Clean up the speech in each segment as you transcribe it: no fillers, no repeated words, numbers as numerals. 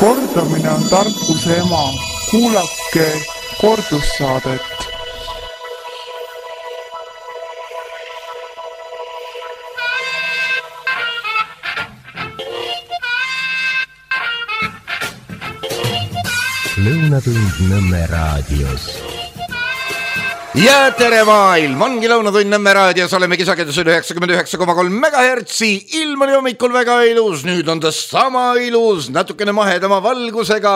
Kordamine on tarkuse ema. Kuulake kordussaadet. Lõunatund Nõmme raadios. Ja tere maailm, ongi Lõunatund Nõmme raadios, olemegi sagedusel 99,3 MHz. Ilm oli hommikul väga ilus, nüüd on ta sama ilus, natukene mahedama valgusega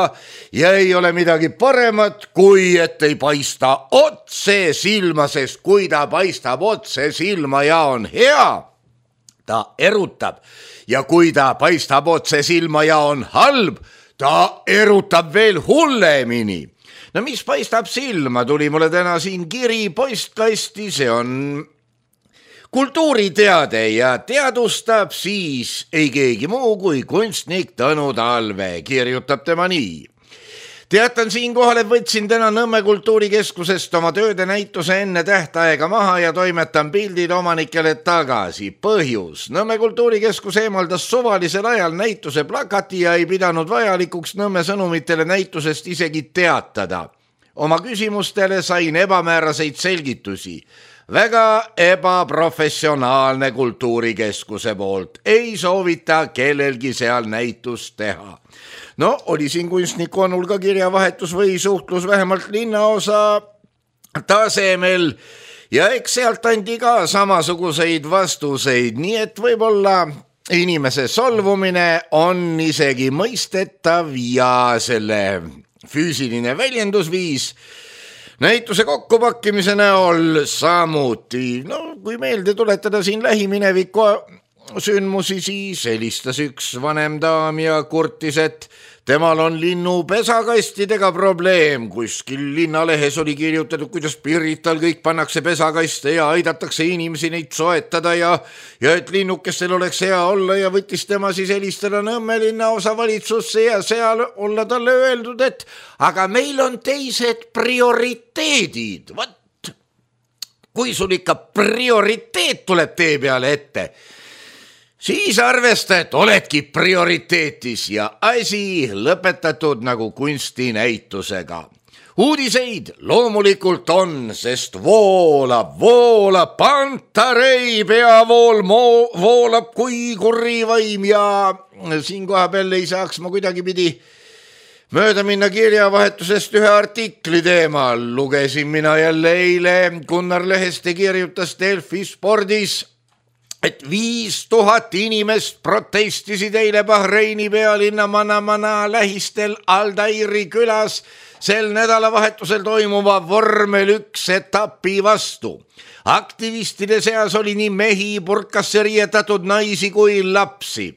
ja ei ole midagi paremat, kui et ei paista otse silma, sest kui ta paistab otse silma ja on hea, ta erutab. Ja kui ta paistab otse silma ja on halb, ta erutab veel hullemini. No mis paistab silma, tuli mulle täna siin kiri postkasti, see on kultuuriteade ja teadustab siis ei keegi muu kui kunstnik Tõnu Talve, kirjutab tema nii. Teatan siinkohal, et võtsin täna Nõmme kultuurikeskusest oma tööde näituse enne tähtaega maha ja toimetan pildid omanikele tagasi. Põhjus. Nõmme kultuurikeskus eemaldas suvalisel ajal näituse plakati ja ei pidanud vajalikuks Nõmme sõnumitele näitusest isegi teatada. Oma küsimustele sain ebamääraseid selgitusi. Väga ebaprofessionaalne kultuurikeskuse poolt. Ei soovita kellelgi seal näitust teha. No, oli siin kunstniku Onul ka kirjavahetus või suhtlus vähemalt linnaosa tasemel ja eks sealt andi ka samasuguseid vastuseid, nii et võib-olla inimese solvumine on isegi mõistetav ja selle füüsiline väljendusviis näituse kokkupakkimise näol samuti. No, kui meelde tuletada siin lähimineviku sündmusi, siis helistas üks vanem daam ja kurtis, et temal on linnu pesakastidega probleem. Kuskil linnalehes oli kirjutatud, kuidas Pirital kõik pannakse pesakaste ja aidatakse inimesi neid soetada ja et linnukestel oleks hea olla ja võttis tema siis helistada Nõmme linnaosa valitsusse ja seal olla talle öeldud, et aga meil on teised prioriteedid. Vat, kui sul ikka prioriteet tuleb tee peale ette, siis arvesta, et oledki prioriteetis ja asi lõpetatud nagu kunstinäitusega. Uudiseid loomulikult on, sest voolab, Pantarei peavool voolab kui kurrivaim ja siin koha peal ei saaks ma kuidagipidi mööda minna kirjavahetusest ühe artikli teemal. Lugesin mina jälle eile Gunnar Leheste kirjutas Delfi Spordis, et 5000 inimest protestisid eile Bahreini pealinna Manamana lähistel Aldairi külas sel nädalavahetusel toimuva vormel 1 etapi vastu. Aktivistide seas oli nii mehi, purkasse riietatud naisi kui lapsi.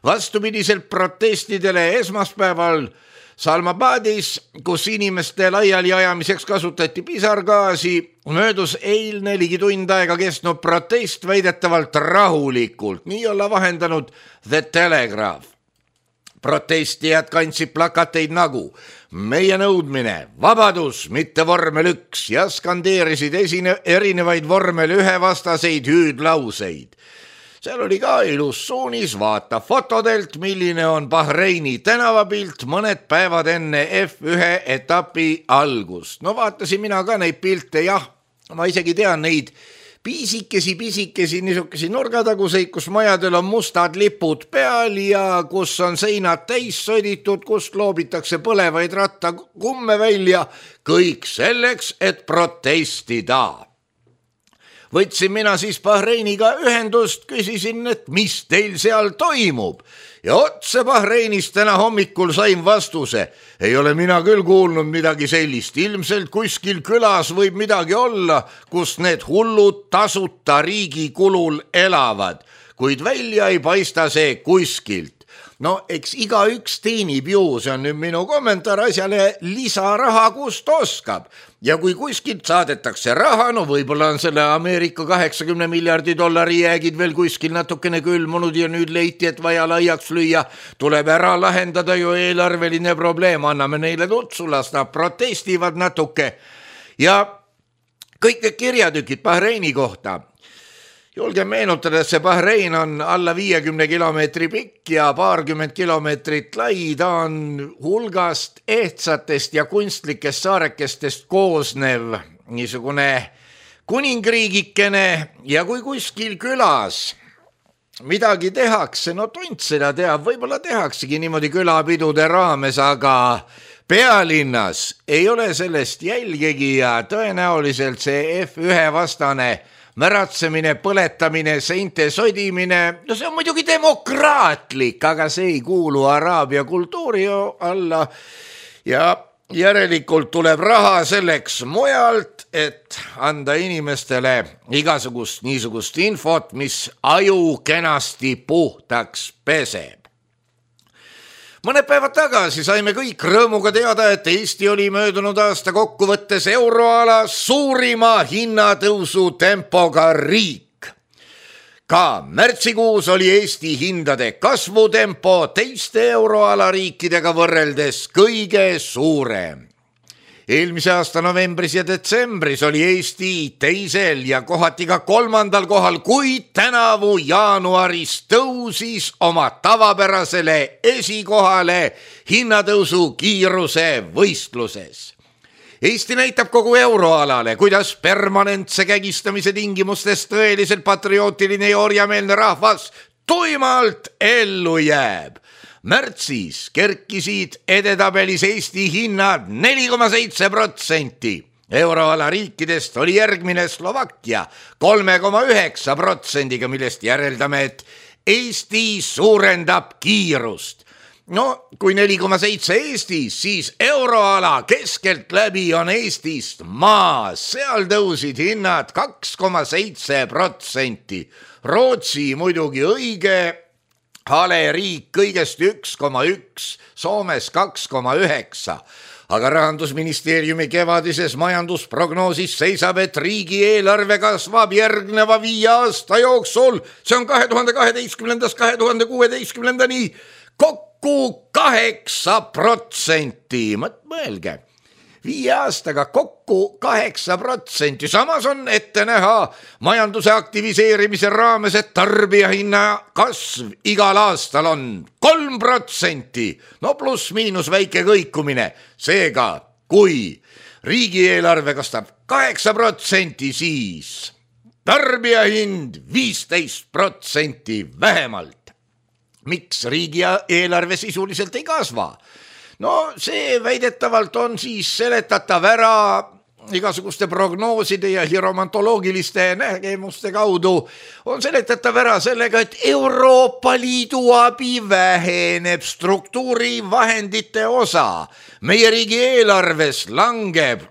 Vastupidiselt protestidele esmaspäeval Salmabadis, kus inimeste laiali ajamiseks kasutati pisargaasi, möödus eilne ligi tund aega kestnud protest väidetavalt rahulikult, nii olla vahendanud The Telegraph. Protestijad kandsid plakateid nagu meie nõudmine, vabadus, mitte vormel 1 ja skandeerisid erinevaid vormel 1 vastaseid hüüdlauseid. Seal oli ka ilus suunis, vaata fotodelt, milline on Bahreini tänavapilt mõned päevad enne F1 etapi algust. No vaatasin mina ka neid pilte, jah, ma isegi tean neid pisikesi, niisugesi nurgataguseid, kus majadel on mustad lipud peal ja kus on seinad täis sõditud, kust loobitakse põlevaid rattakumme välja, kõik selleks, et protestida. Võtsin mina siis Bahreiniga ühendust, küsisin, et mis teil seal toimub. Ja otse Bahreinist täna hommikul sain vastuse. Ei ole mina küll kuulnud midagi sellist. Ilmselt kuskil külas võib midagi olla, kus need hullud tasuta riigi kulul elavad. Kuid välja ei paista see kuskilt. No eks igaüks teenib ju, see on nüüd minu kommentaar asjale, lisaraha kust oskab. Ja kui kuskilt saadetakse raha, no võib-olla on selle Ameerika 80 miljardi dollari jäägid veel kuskil natukene külmunud ja nüüd leiti, et vaja laiaks lüüa, tuleb ära lahendada ju eelarveline probleem, anname neile tutsu, las nad protestivad natuke. Ja kõik need kirjatükid Bahreini kohta. Julgen meenutada, et see Bahrein on alla 50 kilomeetri pikk ja paarkümmend kilomeetrit lai. Ta on hulgast ehtsatest ja kunstlikest saarekestest koosnev niisugune kuningriigikene ja kui kuskil külas midagi tehakse, no tont seda teab, võib-olla tehaksegi niimoodi külapidude raames, aga pealinnas ei ole sellest jälgegi ja tõenäoliselt see F1 vastane märatsemine, põletamine, seinte sodimine, no see on muidugi demokraatlik, aga see ei kuulu araabia kultuuri alla ja järelikult tuleb raha selleks mujalt, et anda inimestele igasugust niisugust infot, mis aju kenasti puhtaks peseb. Mõned päevad tagasi saime kõik rõõmuga teada, et Eesti oli möödunud aasta kokkuvõttes euroala suurima hinnatõusu tempoga riik. Ka märtsikuus oli Eesti hindade kasvutempo teiste euroala riikidega võrreldes kõige suurem. Eelmise aasta novembris ja detsembris oli Eesti teisel ja kohati ka kolmandal kohal, kuid tänavu jaanuaris tõusis oma tavapärasele esikohale hinnatõusu kiiruse võistluses. Eesti näitab kogu euroalale, kuidas permanentse kägistamise tingimustes tõeliselt patriootiline ja orjameelne rahvas tuimalt ellu jääb. Märtsis kerkisid edetabelis Eesti hinnad 4,7%. Euroala riikidest oli järgmine Slovakkia 3,9%, millest järeldame, et Eesti suurendab kiirust. No, kui 4,7 Eestis, siis euroala keskelt läbi on Eestist maas. Seal tõusid hinnad 2,7%. Rootsi muidugi õige hale riik kõigest 1,1, Soomes 2,9. Aga Rahandusministeeriumi kevadises majandusprognoosis seisab, et riigieelarve kasvab järgneva 5 aasta jooksul. See on 2012-2016 kokku 8%. Mõelge, 5 aastaga kokku 8%. Samas on ette näha majanduse aktiviseerimise raames, et tarbijahinna kasv igal aastal on 3%. No pluss miinus väike kõikumine. Seega, kui riigieelarve kastab 8%, siis tarbijahind 15% vähemalt. Miks riigieelarve sisuliselt ei kasva? No see väidetavalt on siis seletatav ära igasuguste prognooside ja hiromantoloogiliste nägemuste kaudu. On seletatav ära sellega, et Euroopa Liidu abi väheneb, struktuurivahendite osa meie riigi eelarves langeb,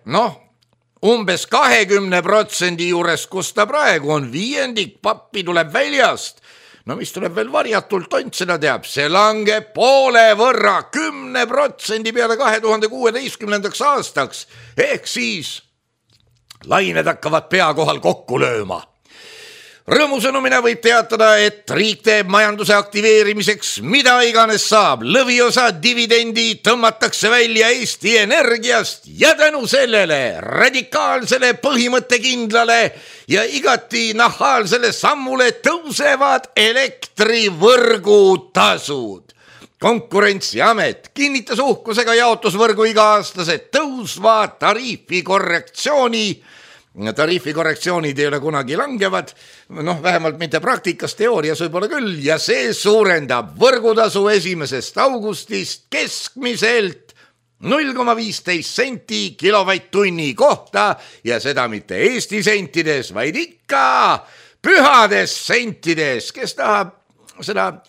umbes 20% juures, kus ta praegu on, 1/5 pappi tuleb väljast. No mis tuleb veel varjatult, tont seda teab, see langeb poole võrra 10% peale 2016. aastaks, ehk siis lained hakkavad pea kohal kokku lööma. Rõõmusõnumina võib teatada, et riik teeb majanduse aktiveerimiseks mida iganes saab. Lõviosa dividendi tõmmatakse välja Eesti Energiast ja tänu sellele radikaalsele põhimõttekindlale ja igati nahaalsele sammule tõusevad elektrivõrgutasud. Konkurentsiamet kinnitas uhkusega jaotusvõrgu iga-aastased tõusva tariifikorrektsioonid ei ole kunagi langevad, vähemalt mitte praktikas, teoorias võib-olla küll, ja see suurendab võrgutasu 1. augustist keskmiselt 0,15 senti kilovatt-tunni kohta ja seda mitte Eesti sentides, vaid ikka pühades sentides. Kes tahab seda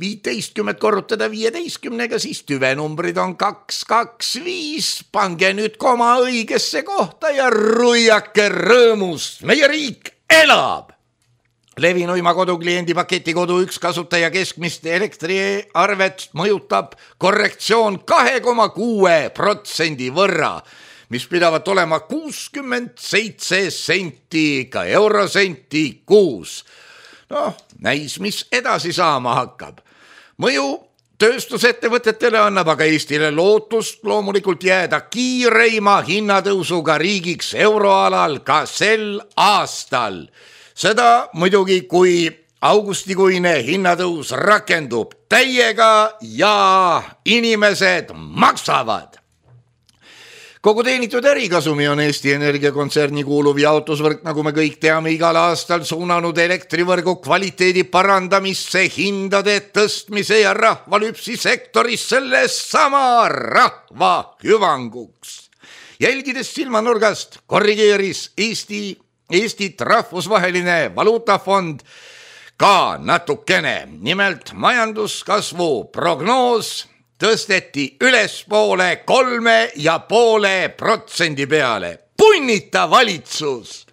15 korrutada 15-ga, siis tüvenumbrid on 225. Pange nüüd koma õigesse kohta ja ruiake rõõmust. Meie riik elab! Levinuima kodukliendi paketi kodu 1 kasutaja keskmist elektriarvet mõjutab korrektsioon 2,6% võrra, mis pidavat olema 67 senti, ka eurosenti kuus. Näis, mis edasi saama hakkab. Mõju tööstusettevõtetele annab aga Eestile lootust loomulikult jääda kiireima hinnatõusuga riigiks euroalal ka sel aastal. Seda muidugi, kui augustikuine hinnatõus rakendub täiega ja inimesed maksavad. Kogu teenitud ärikasumi on Eesti Energia kontserni kuuluv jaotusvõrk, nagu me kõik teame, igal aastal suunanud elektrivõrgu kvaliteedi parandamisse, hindade tõstmise ja rahvalüpsi sektoris selle sama rahva hüvanguks. Jälgides silmanurgast korrigeeris Eestit rahvusvaheline valuutafond ka natukene. Nimelt majanduskasvu prognoos tõsteti ülespoole 3,5% peale. Punnita valitsus!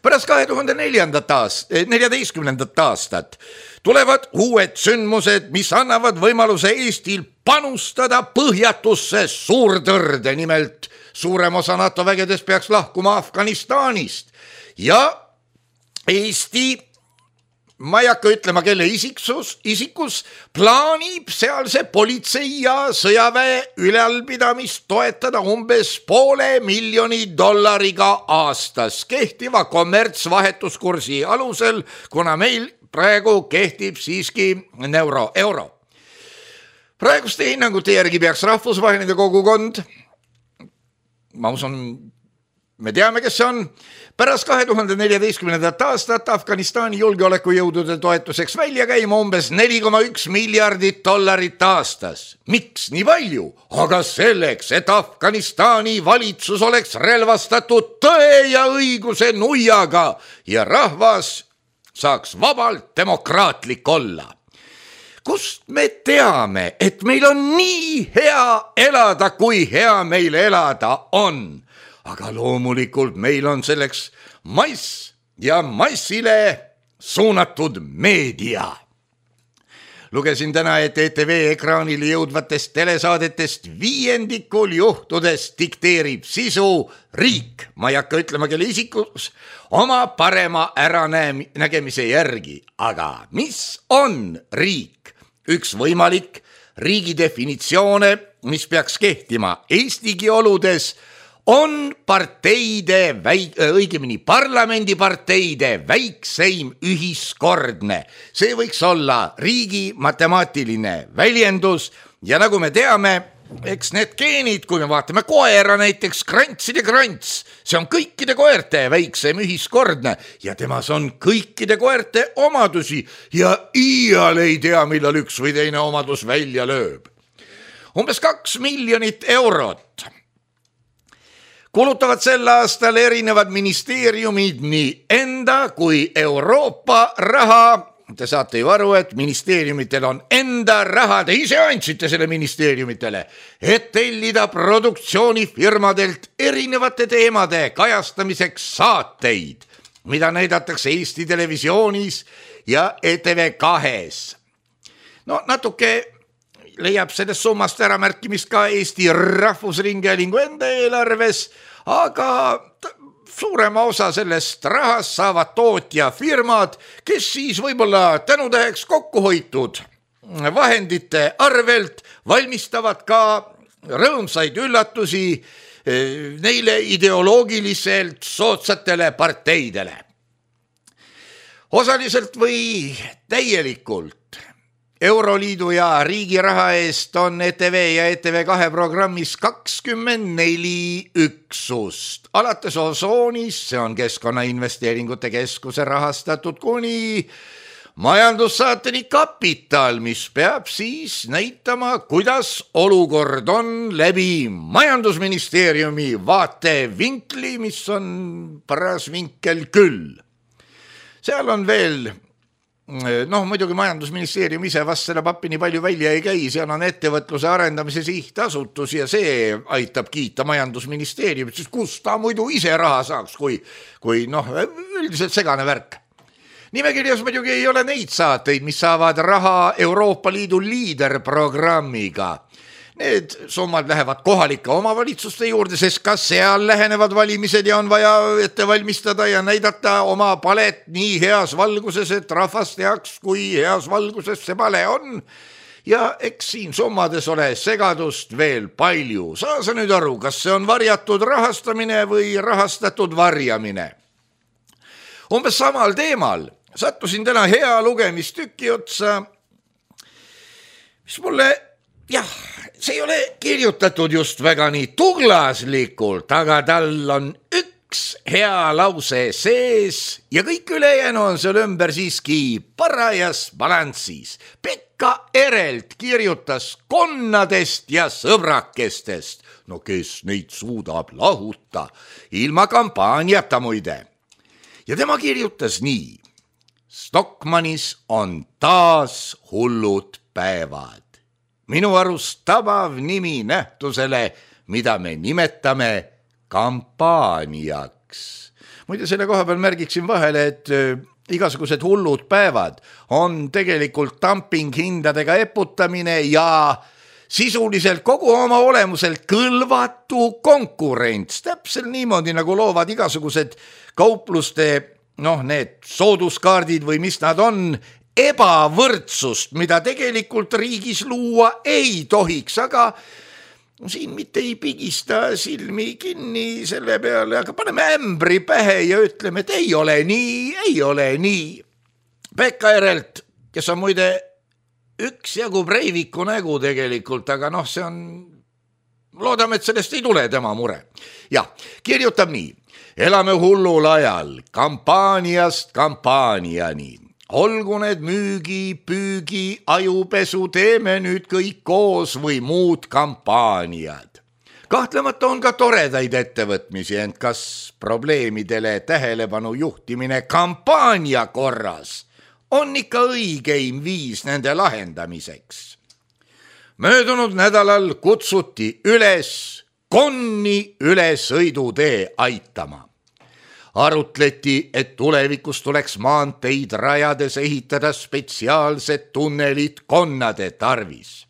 Pärast 2014. aastat tulevad uued sündmused, mis annavad võimaluse Eestil panustada põhjatusse suurtõrde. Nimelt suurem osa NATO vägedes peaks lahkuma Afganistanist ja Eesti, ma ei hakka ütlema, kelle isikus plaanib sealse politsei ja sõjaväe ülalpidamist toetada umbes $500,000 aastas kehtiva kommertsvahetuskursi alusel, kuna meil praegu kehtib siiski euro. Praeguste hinnangute järgi peaks rahvusvaheline kogukond, ma usun, me teame, kes see on, pärast 2014. aastat Afganistani julgeolekujõudude toetuseks välja käima umbes $4,1 miljardit aastas. Miks nii palju? Aga selleks, et Afganistani valitsus oleks relvastatud tõe ja õiguse nuiaga ja rahvas saaks vabalt demokraatlik olla. Kust me teame, et meil on nii hea elada, kui hea meil elada on? Aga loomulikult meil on selleks mass ja massile suunatud meedia. Lugesin täna, et ETV ekraanile jõudvatest telesaadetest 5% juhtudest dikteerib sisu riik. Ma ei hakka ütlema, kelle isikus oma parema äranägemise järgi. Aga mis on riik? Üks võimalik riigi definitsioone, mis peaks kehtima Eestigi oludes, on parlamendiparteide väikseim ühiskordne. See võiks olla riigi matemaatiline väljendus ja nagu me teame, eks need geenid, kui me vaatame koera näiteks, krantside krants, see on kõikide koerte väikseim ühiskordne ja temas on kõikide koerte omadusi ja iial ei tea, millal üks või teine omadus välja lööb. Umbes 2 miljonit eurot kulutavad sel aastal erinevad ministeeriumid nii enda kui Euroopa raha. Te saate ju aru, et ministeeriumitel on enda raha, te ise andsite selle ministeeriumitele, et tellida produktsioonifirmadelt erinevate teemade kajastamiseks saateid, mida näidatakse Eesti Televisioonis ja ETV2-s. No natuke leiab sellest summast ära märkimist ka Eesti Rahvusringhäälingu enda eelarves, aga suurema osa sellest rahast saavad tootjafirmad, kes siis võib-olla tänutäheks kokkuhoitud vahendite arvelt valmistavad ka rõõmsaid üllatusi neile ideoloogiliselt soodsatele parteidele. Osaliselt või täielikult Euroliidu ja riigi raha eest on ETV ja ETV2 programmis 24 üksust. Alates Osoonis, see on Keskkonnainvesteeringute Keskuse rahastatud, kuni majandussaateni Kapital, mis peab siis näitama, kuidas olukord on läbi majandusministeeriumi vaatevinkli, mis on paras vinkel küll. Seal on veel muidugi majandusministeerium ise vast selle pappi nii palju välja ei käi, seal on ettevõtluse arendamise sihtasutus ja see aitab kiita majandusministeeriumit, sest kus ta muidu ise raha saaks, kui üldiselt segane värk. Nimekirjas muidugi ei ole neid saateid, mis saavad raha Euroopa Liidu liiderprogrammiga. Need summad lähevad kohalike omavalitsuste juurde, sest ka seal lähenevad valimised ja on vaja ette valmistada ja näidata oma palet nii heas valguses, et rahvas teaks, kui heas valguses see pale on. Ja eks siin summades ole segadust veel palju. Saa sa nüüd aru, kas see on varjatud rahastamine või rahastatud varjamine? Umbes samal teemal sattusin täna hea lugemistükki otsa, mis mulle, see ei ole kirjutatud just väga nii tuglaslikult, aga tal on üks hea lause sees ja kõik ülejäänu on seal ümber siiski parajas balanssis. Pekka Erelt kirjutas konnadest ja sõbrakestest. No kes neid suudab lahuta ilma kampaaniata muide. Ja tema kirjutas nii. Stockmannis on taas hullud päevad. Minu arust tabav nimi nähtusele, mida me nimetame kampaaniaks. Muide selle koha peal märgiksin vahele, et igasugused hullud päevad on tegelikult dumpinghindadega eputamine ja sisuliselt kogu oma olemuselt kõlvatu konkurents. Täpselt niimoodi nagu loovad igasugused kaupluste, need sooduskaardid või mis nad on, ebavõrdsust, mida tegelikult riigis luua ei tohiks, aga siin mitte ei pigista silmi kinni selle peale, aga paneme ämbri pähe ja ütleme, et ei ole nii. Pekka Erelt, kes on muide üksjagu Breiviku nägu tegelikult, aga see on, loodame, et sellest ei tule tema mure. Ja, kirjutab nii. Elame hullul ajal, kampaaniast kampaaniani. Olgu need müügi, püügi, ajupesu, teeme nüüd kõik koos või muud kampaaniad. Kahtlemata on ka toredaid ettevõtmisi, ent kas probleemidele tähelepanu juhtimine kampaania korras on ikka õigeim viis nende lahendamiseks? Möödunud nädalal kutsuti üles konni üle sõidutee aitama. Arutleti, et tulevikus tuleks maanteid rajades ehitada spetsiaalsed tunnelid konnade tarvis.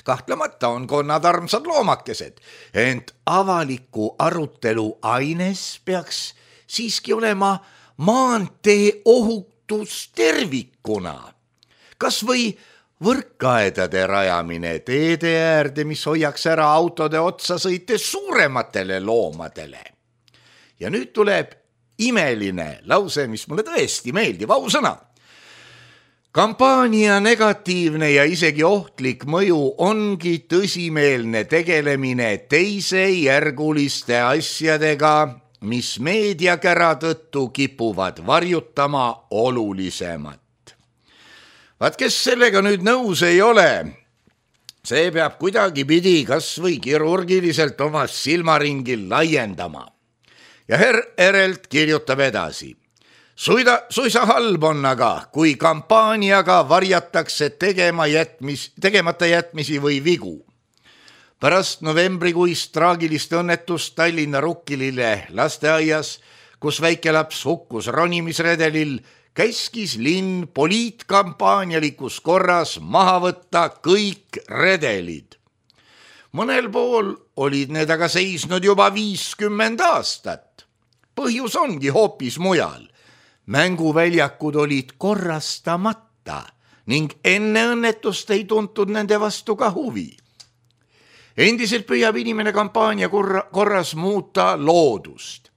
Kahtlemata on konnad armsad loomakesed, ent avaliku arutelu aines peaks siiski olema maantee ohutus tervikuna. Kas või võrkaedade rajamine teede äärde, mis hoiaks ära autode otsa sõites suurematele loomadele. Ja nüüd tuleb imeline lause, mis mulle tõesti meeldib, ausõna. Kampaania negatiivne ja isegi ohtlik mõju ongi tõsimeelne tegelemine teisejärguliste asjadega, mis meediakära tõttu kipuvad varjutama olulisemat. Vaat kes sellega nüüd nõus ei ole, see peab kuidagipidi kas või kirurgiliselt oma silmaringil laiendama. Ja herr Erelt kirjutab edasi. Suisa halb on aga, kui kampaaniaga varjatakse tegemata jätmisi või vigu. Pärast novembrikuist traagilist õnnetust Tallinna Rukkilille lasteaias, kus väikelaps hukkus ronimisredelil, käskis linn poliitkampaanialikus korras maha võtta kõik redelid. Mõnel pool olid need aga seisnud juba 50 aastat. Põhjus ongi hoopis mujal. Mänguväljakud olid korrastamata ning enne õnnetust ei tuntud nende vastu ka huvi. Endiselt püüab inimene kampaania korras muuta loodust.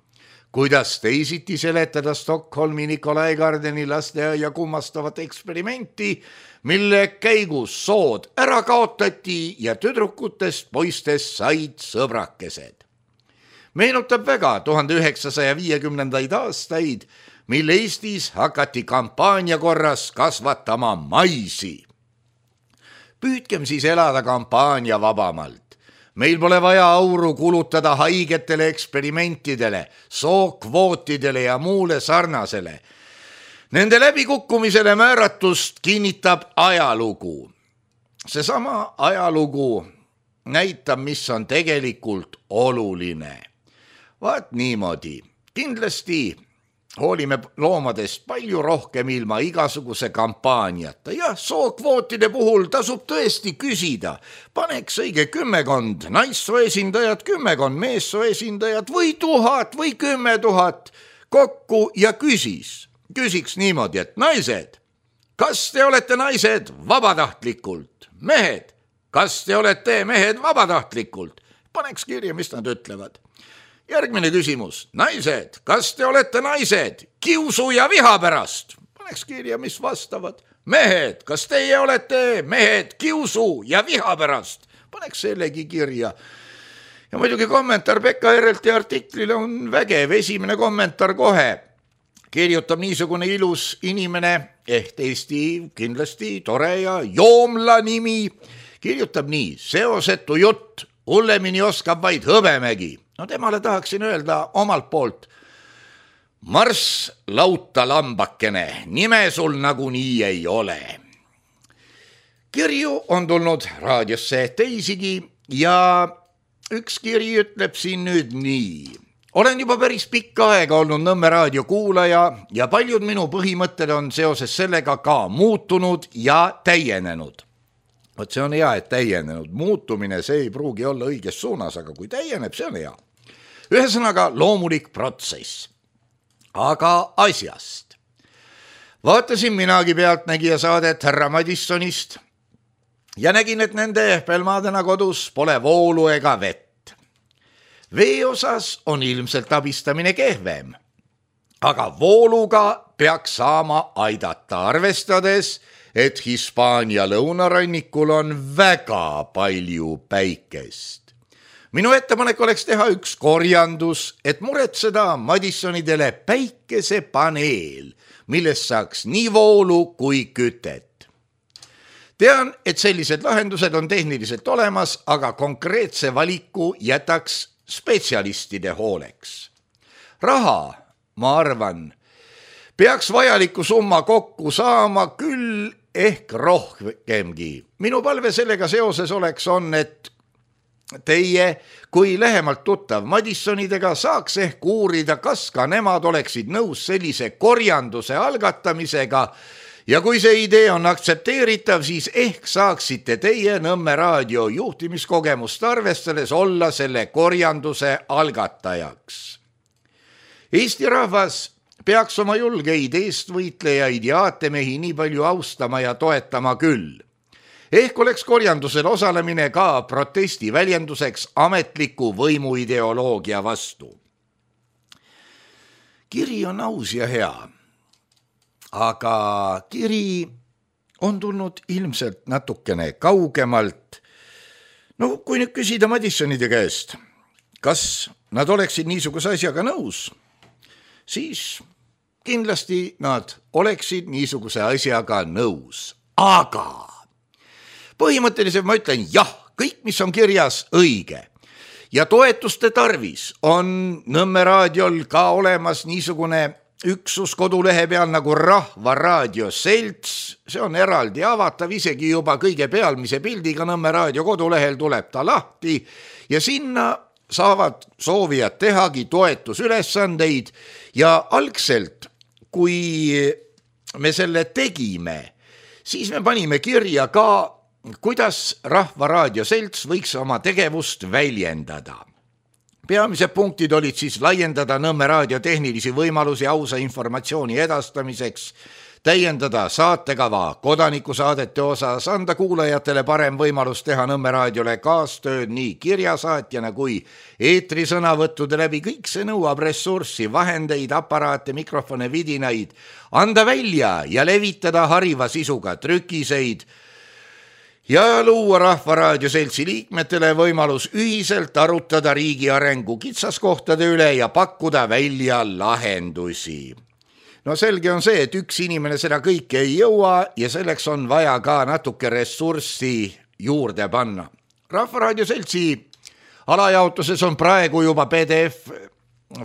Kuidas teisiti seletada Stockholmi Nikolai Gardeni lasteaia kummastavat eksperimenti, mille käigus sood ära kaotati ja tüdrukutest poistest said sõbrakesed. Meenutab väga 1950. aastaid, mil Eestis hakati kampaania korras kasvatama maisi. Püüdkem siis elada kampaania vabamalt. Meil pole vaja auru kulutada haigetele eksperimentidele, sookvootidele ja muule sarnasele. Nende läbikukkumisele määratust kinnitab ajalugu. Seesama ajalugu näitab, mis on tegelikult oluline. Vaat niimoodi. Kindlasti hoolime loomadest palju rohkem ilma igasuguse kampaaniata. Ja sookvootide puhul tasub tõesti küsida. Paneks õige 10 naissooesindajad, 10 meessooesindajad või 1000 või 10 000 kokku ja küsiks niimoodi, et naised, kas te olete naised vabatahtlikult? Mehed, kas te olete mehed vabatahtlikult? Paneks kirja, mis nad ütlevad. Järgmine küsimus. Naised, kas te olete naised kiusu ja viha pärast? Paneks kirja, mis vastavad. Mehed, kas teie olete mehed kiusu ja viha pärast? Paneks sellegi kirja. Ja muidugi kommentaar Pekka RLT artiklile on vägev. Esimene kommentaar kohe. Kirjutab niisugune ilus inimene, Eesti kindlasti tore ja joomla nimi. Kirjutab nii, seosetu jutt, hullemini oskab vaid Hõbemägi. No temale tahaksin öelda omalt poolt. Marss lauta lambakene, nime sul nagunii ei ole. Kirju on tulnud raadiosse teisigi ja üks kiri ütleb siin nüüd nii. Olen juba päris pikka aega olnud Nõmme raadio kuulaja ja paljud minu põhimõtted on seoses sellega ka muutunud ja täienenud. Võt see on hea, et täienenud. Muutumine, see ei pruugi olla õiges suunas, aga kui täieneb, see on hea. Ühesõnaga loomulik protsess. Aga asjast. Vaatasin minagi pealtnägija saadet härra Madissonist ja nägin, et nende pelmadena kodus pole voolu ega vett. Vee osas on ilmselt abistamine kehvem, aga vooluga peaks saama aidata, arvestades, et Hispaania lõunarannikul on väga palju päikest. Minu ettepanek oleks teha üks korjandus, et muretseda Madissonidele päikesepaneel, millest saaks nii voolu kui kütet. Tean, et sellised lahendused on tehniliselt olemas, aga konkreetse valiku jätaks spetsialistide hooleks. Raha, ma arvan, peaks vajaliku summa kokku saama küll ehk rohkemgi. Minu palve sellega seoses on, et teie kui lähemalt tuttav Madissonidega saaks ehk uurida, kas ka nemad oleksid nõus sellise korjanduse algatamisega ja kui see idee on aktsepteeritav, siis ehk saaksite teie Nõmme raadio juhtimiskogemust arvestades olla selle korjanduse algatajaks. Eesti rahvas peaks oma julgeid eestvõitlejaid ja aatemehi nii palju austama ja toetama küll. Ehk oleks korjandusel osalemine ka protesti väljenduseks ametliku võimuideoloogia vastu. Kiri on aus ja hea, aga kiri on tulnud ilmselt natukene kaugemalt. No kui nüüd küsida Madissonide käest, kas nad oleksid niisuguse asjaga nõus, siis kindlasti nad oleksid niisuguse asjaga nõus. Aga põhimõtteliselt ma ütlen jah, kõik mis on kirjas õige. Ja toetuste tarvis on Nõmme raadiol ka olemas niisugune üksus kodulehe peal nagu Rahva Raadio Selts. See on eraldi avatav, isegi juba kõige pealmise pildiga Nõmme raadio kodulehel tuleb ta lahti ja sinna saavad soovijad tehagi toetusülesandeid ja algselt, kui me selle tegime, siis me panime kirja ka, kuidas Rahva Raadio Selts võiks oma tegevust väljendada. Peamised punktid olid siis laiendada Nõmme raadio tehnilisi võimalusi ausa informatsiooni edastamiseks, täiendada saatekava kodanikusaadete osas, anda kuulajatele parem võimalus teha Nõmme raadiole kaastööd nii kirjasaatjana kui eetrisõnavõttude läbi. Kõik see nõuab ressurssi, vahendeid, aparaate, mikrofone, vidinaid, anda välja ja levitada hariva sisuga trükiseid ja luua Rahva Raadio Seltsi liikmetele võimalus ühiselt arutada riigi arengu kitsaskohtade üle ja pakkuda välja lahendusi. No selge on see, et üks inimene seda kõike ei jõua ja selleks on vaja ka natuke ressurssi juurde panna. Rahva Raadio Seltsi alajaotuses on praegu juba PDF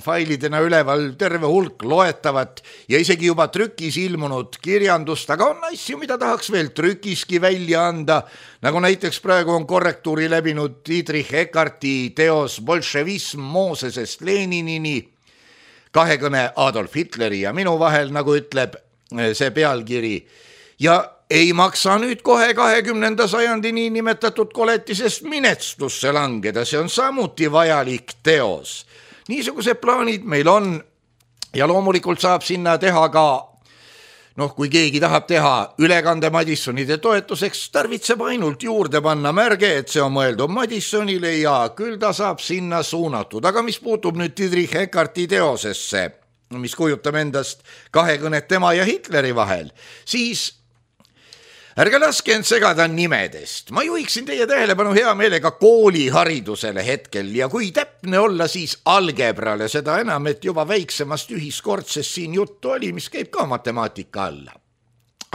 failidena üleval terve hulk loetavat ja isegi juba trükis ilmunud kirjandust, aga on asju, mida tahaks veel trükiski välja anda, nagu näiteks praegu on korrektuuri läbinud Friedrich Eckarti teos Bolševism Moosesest Leninini, kahekõne Adolf Hitleri ja minu vahel, nagu ütleb see pealkiri. Ja ei maksa nüüd kohe 20. sajandi niinimetatud koletisest minestusse langeda, see on samuti vajalik teos. Niisugused plaanid meil on ja loomulikult saab sinna teha ka kui keegi tahab teha ülekande Madissonide toetuseks, tarvitseb ainult juurde panna märge, et see on mõeldud Madissonile ja küll ta saab sinna suunatud. Aga mis puutub nüüd Dietrich Eckarti teosesse, mis kujutab endast kahekõnet tema ja Hitleri vahel, siis ärge laske end segada nimedest. Ma juhiksin teie tähelepanu hea meelega kooliharidusele hetkel ja kui täpne olla, siis algebrale, seda enam, et juba väiksemast ühiskordsest siin juttu oli, mis käib ka matemaatika alla.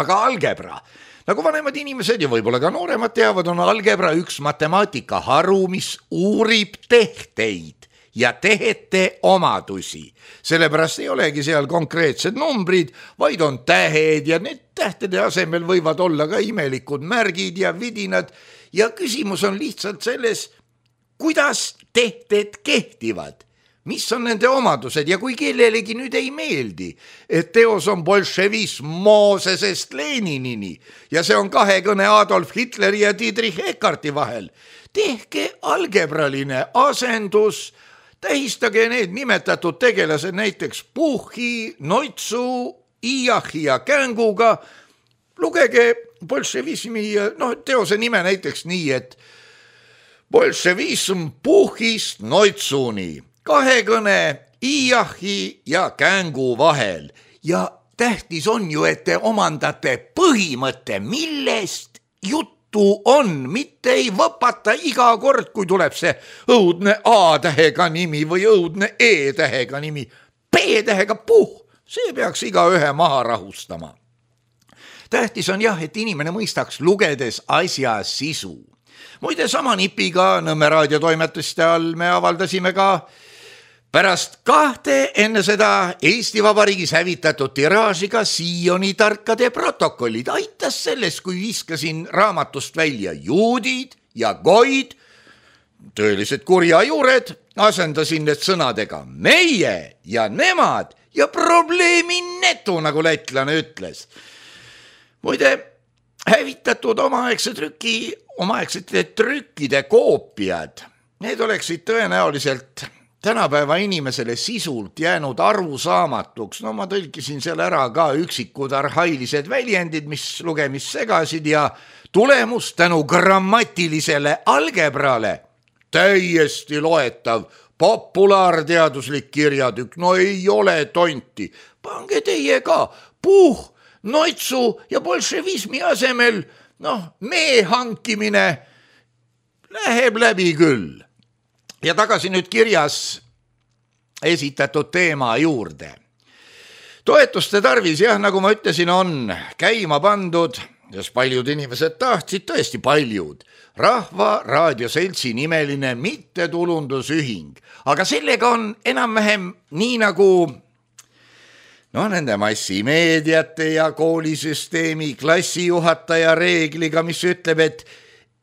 Aga algebra, nagu vanemad inimesed ja võib-olla ka nooremad teavad, on algebra üks matemaatika haru, mis uurib tehteid ja tehete omadusi. Sellepärast ei olegi seal konkreetsed numbrid, vaid on tähed ja need tähtede asemel võivad olla ka imelikud märgid ja vidinad ja küsimus on lihtsalt selles, kuidas tehted kehtivad, mis on nende omadused ja kui kellelegi nüüd ei meeldi, et teos on bolševism Moosesest Leninini ja see on kahekõne Adolf Hitleri ja Dietrich Eckarti vahel, tehke algebraline asendus, tähistage need nimetatud tegelased näiteks Puhhi, Noitsu, Iahi ja Känguga, lugege bolševismi teose nime näiteks nii, et bolševism Puhhist Noitsuni, kahekõne Iahi ja Kängu vahel ja tähtis on ju, et te omandate põhimõtte, millest juttu on, mitte ei võpata iga kord, kui tuleb see õudne A-tähega nimi või õudne E-tähega nimi. B-tähega see peaks igaühe maha rahustama. Tähtis on jah, et inimene mõistaks lugedes asja sisu. Muide, sama nipiga Nõmme raadiotoimetuste all me avaldasime ka pärast 2 enne seda Eesti Vabariigis hävitatud tiraažiga Sioni tarkade protokollid. Aitas sellest, kui viskasin raamatust välja juudid ja goid, tõelised kurjajuured, asendasin need sõnadega meie ja nemad ja probleemi netu, nagu lätlane ütles. Muide, hävitatud omaaegsete trükkide koopiad, need oleksid tõenäoliselt tänapäeva inimesele sisult jäänud arusaamatuks. Ma tõlkisin seal ära ka üksikud arhailised väljendid, mis lugemist segasid ja tulemus tänu grammatilisele algebrale täiesti loetav populaarteaduslik kirjatükk. Ei ole tonti. Pange teie ka Puh, Noitsu ja bolševismi asemel, mee hankimine läheb läbi küll. Ja tagasi nüüd kirjas esitatud teema juurde. Toetuste tarvis, jah, nagu ma ütlesin, on käima pandud, sest paljud inimesed tahtsid, tõesti paljud, Rahva Raadioseltsi nimeline mittetulundusühing. Aga sellega on enam-vähem nii nagu nende massimeediate ja koolisüsteemi klassijuhataja reegliga, mis ütleb, et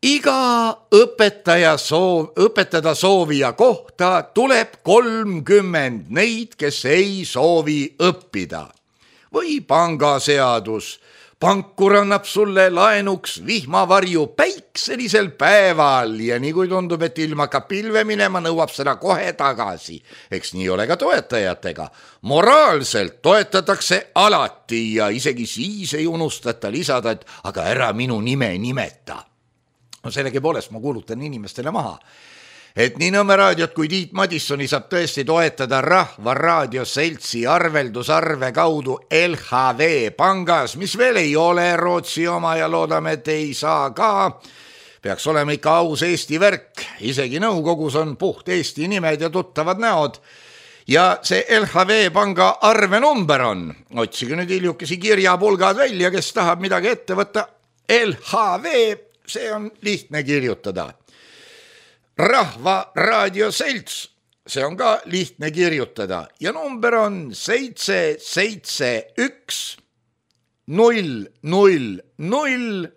iga õpetada soovija kohta tuleb 30 neid, kes ei soovi õppida. Või pangaseadus. Pankur annab sulle laenuks vihmavarju päikselisel päeval ja nii kui tundub, et ilma hakkab pilve minema, nõuab seda kohe tagasi. Eks nii ole ka toetajatega. Moraalselt toetatakse alati ja isegi siis ei unustata lisada, et aga ära minu nime nimeta. Sellegi poolest ma kuulutan inimestele maha, et nii Nõmme raadiot kui Tiit Madissoni saab tõesti toetada Rahva Raadioseltsi arveldusarve kaudu LHV pangas, mis veel ei ole Rootsi oma ja loodame, et ei saa ka. Peaks olema ikka aus Eesti värk, isegi nõukogus on puht Eesti nimed ja tuttavad näod. Ja see LHV panga arvenumber on, otsige nüüd hiljukesi kirjapulgad välja, kes tahab midagi ette võtta, LHV. See on lihtne kirjutada. Rahva Raadioselts, see on ka lihtne kirjutada ja number on 771 000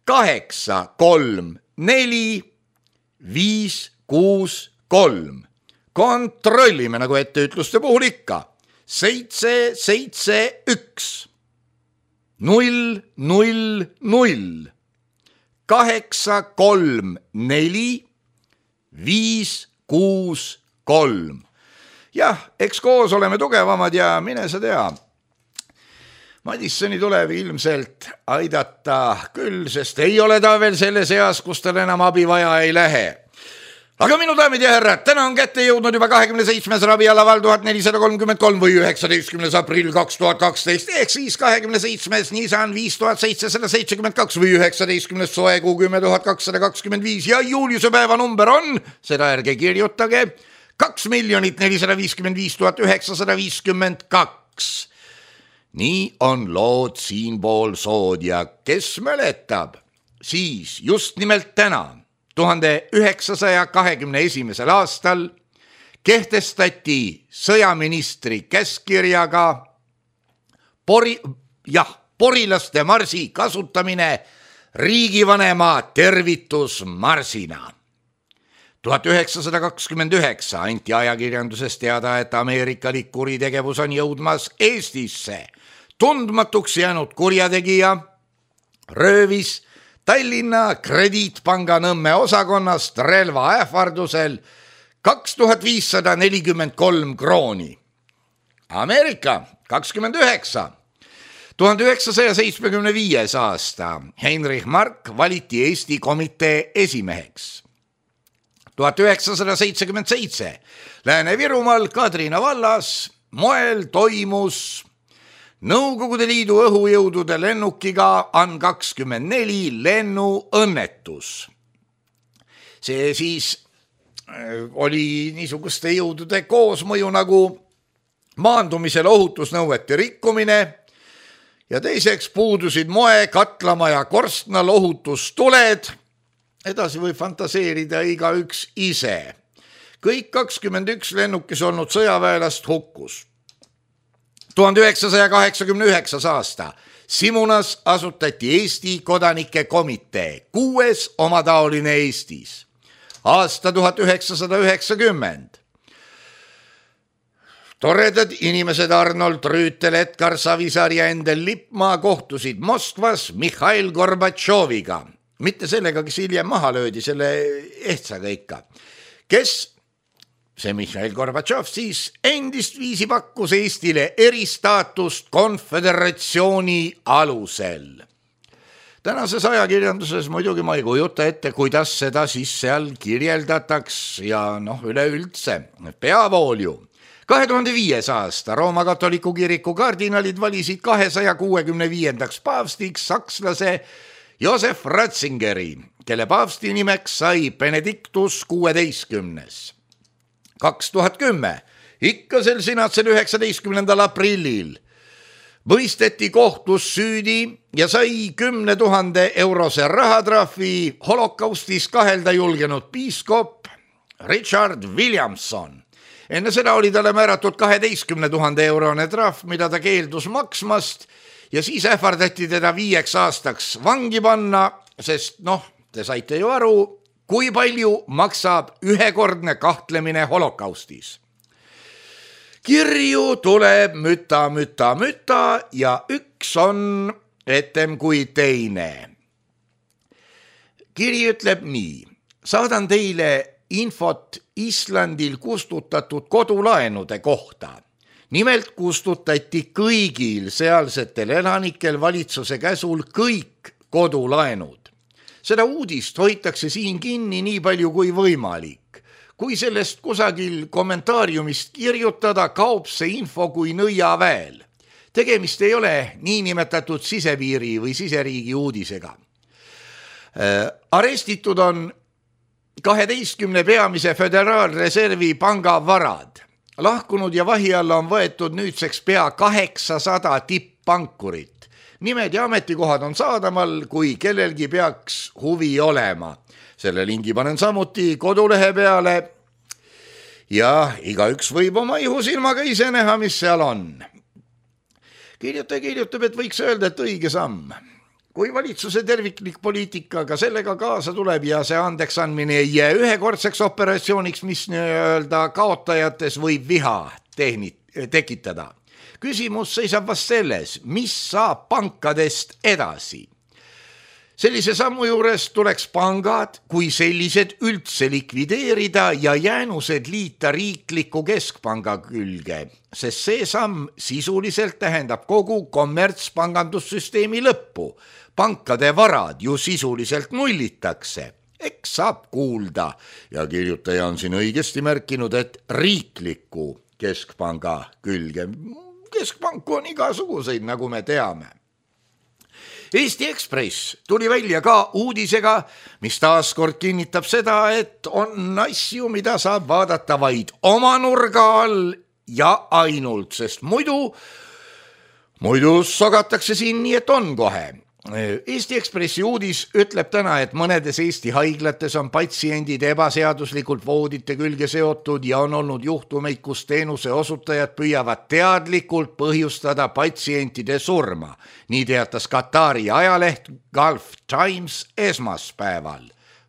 834 563. Kontrollime nagu etteütluste puhul ikka. 771 000 834 563. Jah, eks koos oleme tugevamad ja mine sa tea. Madissoni tuleb ilmselt aidata küll, sest ei ole ta veel selles eas, kus tal enam abi vaja ei lähe. Aga minu daamid ja härrad, täna on kätte jõudnud juba 27. rabialaval 1433 või 19. aprill 2012 ehk siis 27. Nisan 5772 või 19. soekuu 10225 ja Juliuse päeva number on, seda ärge kirjutage, 2 455 952. Nii on lood siinpool sood ja kes mäletab, siis just nimelt täna 1921. aastal kehtestati sõjaministri käskkirjaga porilaste marsi kasutamine riigivanema tervitusmarsina. 1929 anti ajakirjanduses teada, et ameerikalik kuritegevus on jõudmas Eestisse. Tundmatuks jäänud kurjategija röövis Tallinna Krediitpanga Nõmme osakonnast relva ähvardusel 2543 krooni. Ameerika 29. 1975. aasta Heinrich Mark valiti Eesti komitee esimeheks. 1977 Lääne-Virumaal Kadrina vallas moel toimus Nõukogude Liidu õhujõudude lennukiga AN-24 lennuõnnetus. See siis oli niisuguste jõudude koosmõju nagu maandumisel ohutusnõuete rikkumine ja teiseks puudusid moe, katlama ja korstnal ohutustuled. Edasi võib fantaseerida igaüks ise. Kõik 21 lennukis olnud sõjaväelast hukkus. 1989. aasta Simunas asutati Eesti kodanike komitee, 6. omataoline Eestis. Aasta 1990. Toredad inimesed Arnold Rüütel, Edgar Savisaar ja Endel Lippmaa kohtusid Moskvas Mihhail Gorbatšoviga. Mitte sellega, kes hiljem maha löödi, selle ehtsaga ikka. Kes see Mihhail Gorbatšov siis endist viisi pakkus Eestile eristaatust konföderatsiooni alusel. Tänases ajakirjanduses muidugi ma ei kujuta ette, kuidas seda siis seal kirjeldataks ja üleüldse peavoolju. 2005. aasta Rooma katoliku kiriku kardinalid valisid 265. paavstiks sakslase Josef Ratzingeri, kelle paavsti nimeks sai Benedictus 16. 2010, ikka sel sinatsel 19. aprillil mõisteti kohtus süüdi ja sai 10 000 eurose rahatrahvi holokaustis kahelda julgenud piiskop Richard Williamson. Enne seda oli talle määratud 12 000 eurone trahv, mida ta keeldus maksmast ja siis ähvardati teda 5 aastaks vangi panna, sest te saite ju aru, kui palju maksab ühekordne kahtlemine holokaustis. Kirju tuleb müta ja üks on etem kui teine. Kiri ütleb nii: saadan teile infot Islandil kustutatud kodulaenude kohta. Nimelt kustutati kõigil sealsetel elanikel valitsuse käsul kõik kodulaenud. Seda uudist hoitakse siin kinni nii palju kui võimalik. Kui sellest kusagil kommentaariumist kirjutada, kaob see info kui nõiaväel. Tegemist ei ole niinimetatud sisepiiri või siseriigi uudisega. Arestitud on 12 peamise föderaalreservi panga varad. Lahkunud ja vahi alla on võetud nüüdseks pea 800 tipppankurit. Nimed ja ametikohad on saadamal, kui kellelgi peaks huvi olema. Selle lingi panen samuti kodulehe peale ja igaüks võib oma ihusilmaga ise näha, mis seal on. Kirjutab, et võiks öelda, et õige samm. Kui valitsuse terviklik poliitikaga sellega kaasa tuleb ja see andeks andmine ei jää ühekordseks operatsiooniks, mis nii-öelda kaotajates võib viha tekitada. Küsimus seisab vast selles, mis saab pankadest edasi. Sellise sammu juures tuleks pangad kui sellised üldse likvideerida ja jäänused liita riikliku keskpanga külge, sest see samm sisuliselt tähendab kogu kommertspangandussüsteemi lõppu. Pankade varad ju sisuliselt nullitakse. Eks saab kuulda ja kirjutaja on siin õigesti märkinud, et riikliku keskpanga külge. Keskpanku on igasuguseid, nagu me teame. Eesti Ekspress tuli välja ka uudisega, mis taaskord kinnitab seda, et on asju, mida saab vaadata vaid oma nurga all ja ainult, sest muidu sogatakse siin nii, et on kohe. Eesti Ekspressi uudis ütleb täna, et mõnedes Eesti haiglates on patsiendid ebaseaduslikult voodite külge seotud ja on olnud juhtumeid, kus teenuse osutajad püüavad teadlikult põhjustada patsientide surma. Nii teatas Katari ajaleht Gulf Times esmaspäeval.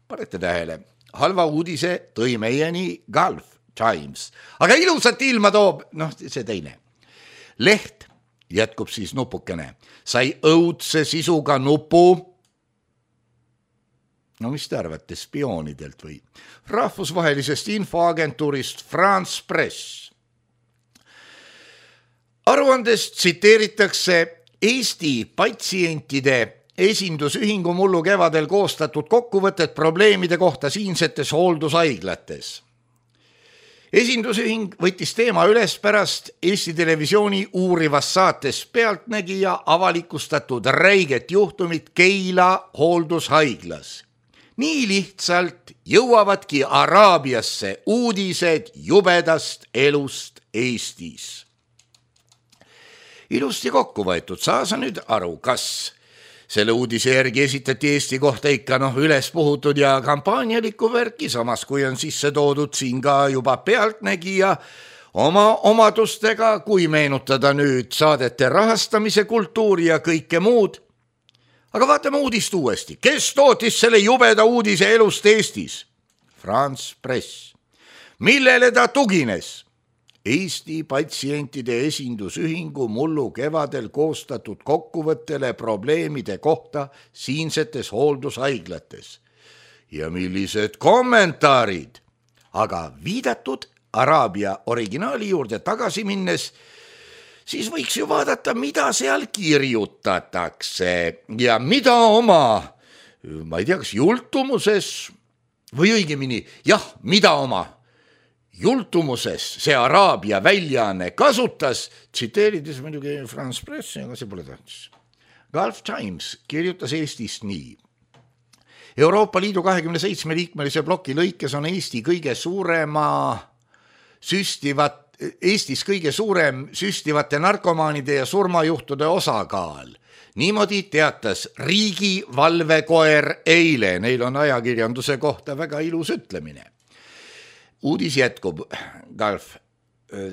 Panete tähele, halva uudise tõi meieni Gulf Times, aga ilusat ilma toob, see teine. Leht jätkub siis nupukene. Sai õudse sisuga nupu. Mis te arvate, spioonidelt või? Rahvusvahelisest infoagentuurist France Press. Aruandest tsiteeritakse Eesti patsientide esindusühingu mullu kevadel koostatud kokkuvõtet probleemide kohta siinsetes hooldushaiglates. Esindusühing võttis teema üles pärast Eesti Televisiooni uurivas saates Pealtnägija avalikustatud räiget juhtumit Keila hooldushaiglas. Nii lihtsalt jõuavadki Araabiasse uudised jubedast elust Eestis. Ilusti kokku võetud, saa sa nüüd aru, kas selle uudise järgi esitati Eesti kohta ikka üles puhutud ja kampaanialikku värki, samas kui on sisse toodud siin ka juba Pealtnägija oma omadustega, kui meenutada nüüd saadete rahastamise kultuuri ja kõike muud. Aga vaatame uudist uuesti. Kes tootis selle jubeda uudise elust Eestis? France Press. Millele ta tugines? Eesti patsientide esindusühingu mullu kevadel koostatud kokkuvõttele probleemide kohta siinsetes hooldushaiglates. Ja millised kommentaarid? Aga viidatud Araabia originaali juurde tagasi minnes, siis võiks ju vaadata, mida seal kirjutatakse ja mida oma, ma ei tea, kas jultumuses või õigemini, mida oma jultumuses see Araabia väljaanne kasutas, tsiteerides muidugi France Pressi, aga see pole tähtis. Gulf Times kirjutas Eestist nii. Euroopa Liidu 27 liikmelise ploki lõikes on Eestis kõige suurem süstivate narkomaanide ja surmajuhtude osakaal. Niimoodi teatas riigi valvekoer eile, neil on ajakirjanduse kohta väga ilus ütlemine. Uudis jätkub Gulf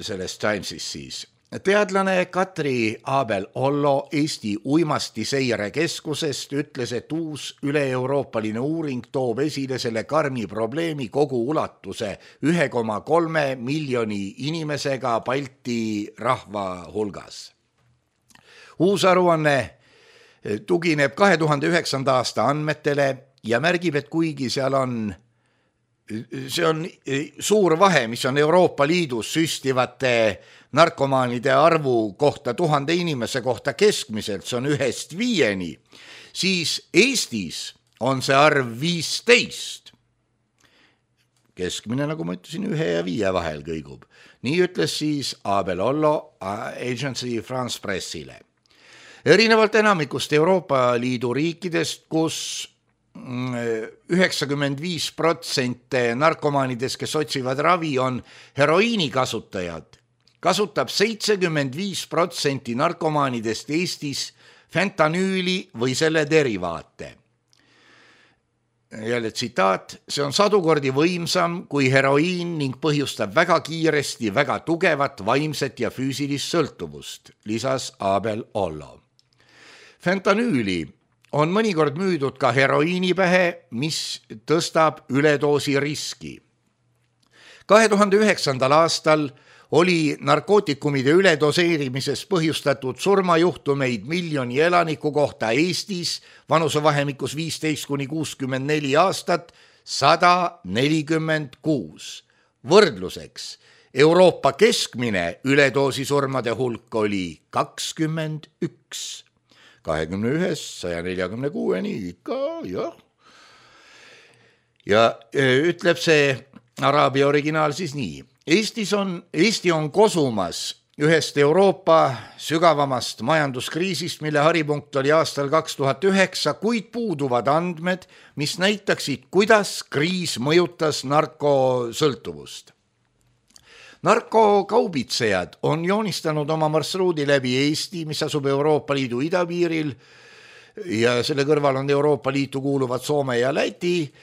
sellest Timesist siis. Teadlane Katri Abel-Ollo Eesti uimastiseire keskusest ütles, et uus üle-euroopaline uuring toob esile selle karmi probleemi kogu ulatuse 1,3 miljoni inimesega Balti rahva hulgas. Uus aruanne tugineb 2009. aasta andmetele ja märgib, et kuigi see on suur vahe, mis on Euroopa Liidus süstivate narkomaanide arvu kohta 1000 inimese kohta keskmiselt, see on 1-5, siis Eestis on see arv 15. Keskmine, nagu ma ütlesin, 1 ja 5 vahel kõigub. Nii ütles siis Abel-Ollo Agency France Pressile. Erinevalt enamikust Euroopa Liidu riikidest, kus 95% narkomaanidest, kes otsivad ravi, on heroiini kasutajad, kasutab 75% narkomaanidest Eestis fentanüüli või selle derivaate. Jälle tsitaat, see on 100 kordi võimsam kui heroiin ning põhjustab väga kiiresti väga tugevat vaimset ja füüsilist sõltuvust, lisas Abel-Ollo. Fentanüüli on mõnikord müüdud ka heroiinipähe, mis tõstab üledoosi riski. 2009. aastal oli narkootikumide üledoseerimisest põhjustatud surmajuhtumeid miljoni elaniku kohta Eestis vanusevahemikus 15–64 aastat 146. Võrdluseks, Euroopa keskmine üledoosisurmade hulk oli 21. 21-146, ikka, jah. Ja ütleb see araabia originaal siis nii. Eesti on kosumas ühest Euroopa sügavamast majanduskriisist, mille haripunkt oli aastal 2009, kuid puuduvad andmed, mis näitaksid, kuidas kriis mõjutas narkosõltuvust. Narkokaubitsejad on joonistanud oma marsruudi läbi Eesti, mis asub Euroopa Liidu idapiiril ja selle kõrval on Euroopa Liitu kuuluvad Soome ja Läti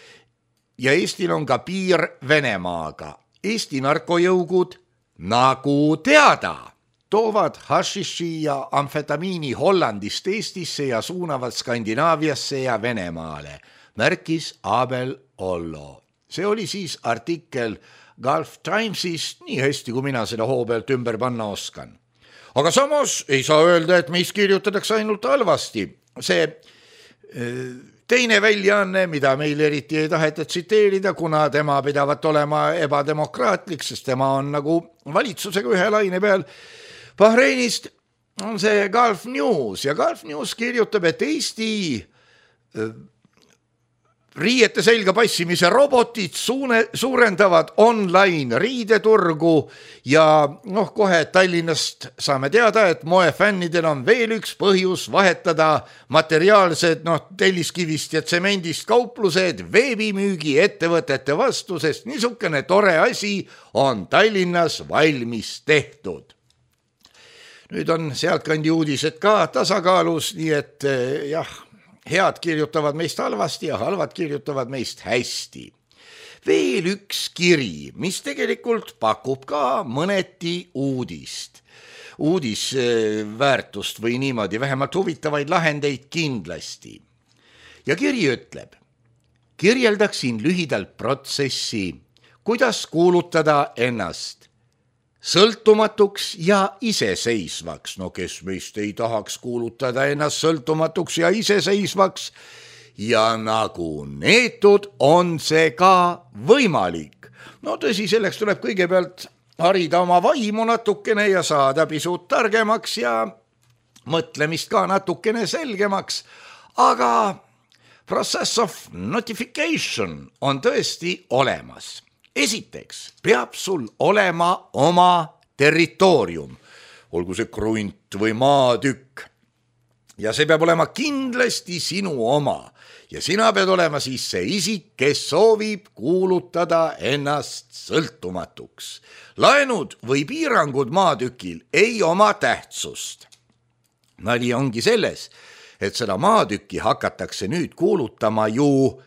ja Eestil on ka piir Venemaaga. Eesti narkojõugud, nagu teada, toovad hašiši ja amfetamiini Hollandist Eestisse ja suunavad Skandinaaviasse ja Venemaale, märkis Abel Ollo. See oli siis artikkel Gulf Timesist, nii hästi kui mina seda hoo pealt ümber panna oskan. Aga samas ei saa öelda, et meist kirjutatakse ainult halvasti. See teine väljaanne, mida meil eriti ei taheta tsiteerida, kuna tema pidavat olema ebademokraatlik, sest tema on nagu valitsusega ühe laine peal. Bahreinist on see Gulf News ja Gulf News kirjutab, et Eesti riiete selga passimise robotid suurendavad online riideturgu ja kohe Tallinnast saame teada, et moefännidel on veel üks põhjus vahetada materiaalsed telliskivist ja tsemendist kauplused veebimüügi ettevõtete vastu, sest niisugune tore asi on Tallinnas valmis tehtud. Nüüd on sealtkandi uudised ka tasakaalus, nii et jah, head kirjutavad meist halvasti ja halvad kirjutavad meist hästi. Veel üks kiri, mis tegelikult pakub ka mõneti uudisväärtust või niimoodi, vähemalt huvitavaid lahendeid kindlasti. Ja kiri ütleb, kirjeldaksin lühidalt protsessi, kuidas kuulutada ennast sõltumatuks ja iseseisvaks. Kes meist ei tahaks kuulutada ennast sõltumatuks ja iseseisvaks ja nagu neetud on see ka võimalik. Tõsi, selleks tuleb kõigepealt harida oma vaimu natukene ja saada pisut targemaks ja mõtlemist ka natukene selgemaks, aga process of notification on tõesti olemas. Esiteks peab sul olema oma territoorium, olgu see krunt või maatükk, ja see peab olema kindlasti sinu oma ja sina pead olema siis see isik, kes soovib kuulutada ennast sõltumatuks. Laenud või piirangud maatükil ei oma tähtsust. Nali ongi selles, et seda maatükki hakatakse nüüd kuulutama ju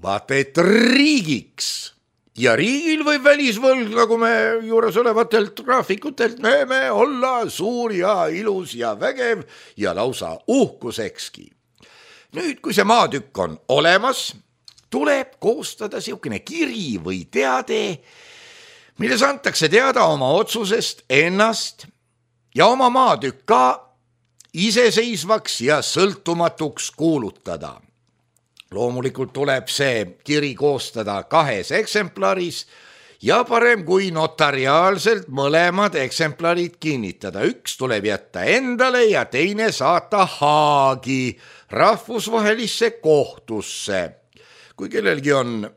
vaata et riigiks. Ja riigil või välisvõlg, nagu me juures olevatelt graafikutelt näeme, olla suur ja ilus ja vägev ja lausa uhkusekski. Nüüd, kui see maatükk on olemas, tuleb koostada siukene kiri või teade, milles antakse teada oma otsusest ennast ja oma maatükk ka iseseisvaks ja sõltumatuks kuulutada. Loomulikult tuleb see kiri koostada 2 eksemplaris ja parem kui notariaalselt mõlemad eksemplarid kinnitada. Üks tuleb jätta endale ja teine saata Haagi rahvusvahelisse kohtusse. Kui kellelgi on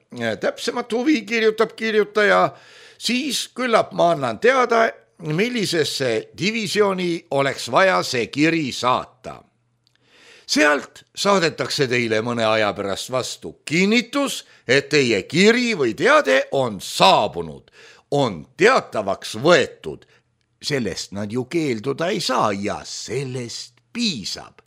täpsemat huvi, kirjutab kirjutaja, siis küllap ma annan teada, millisesse divisjoni oleks vaja see kiri saata. Sealt saadetakse teile mõne aja pärast vastu kinnitus, et teie kiri või teade on saabunud, on teatavaks võetud. Sellest nad ju keelduda ei saa ja sellest piisab.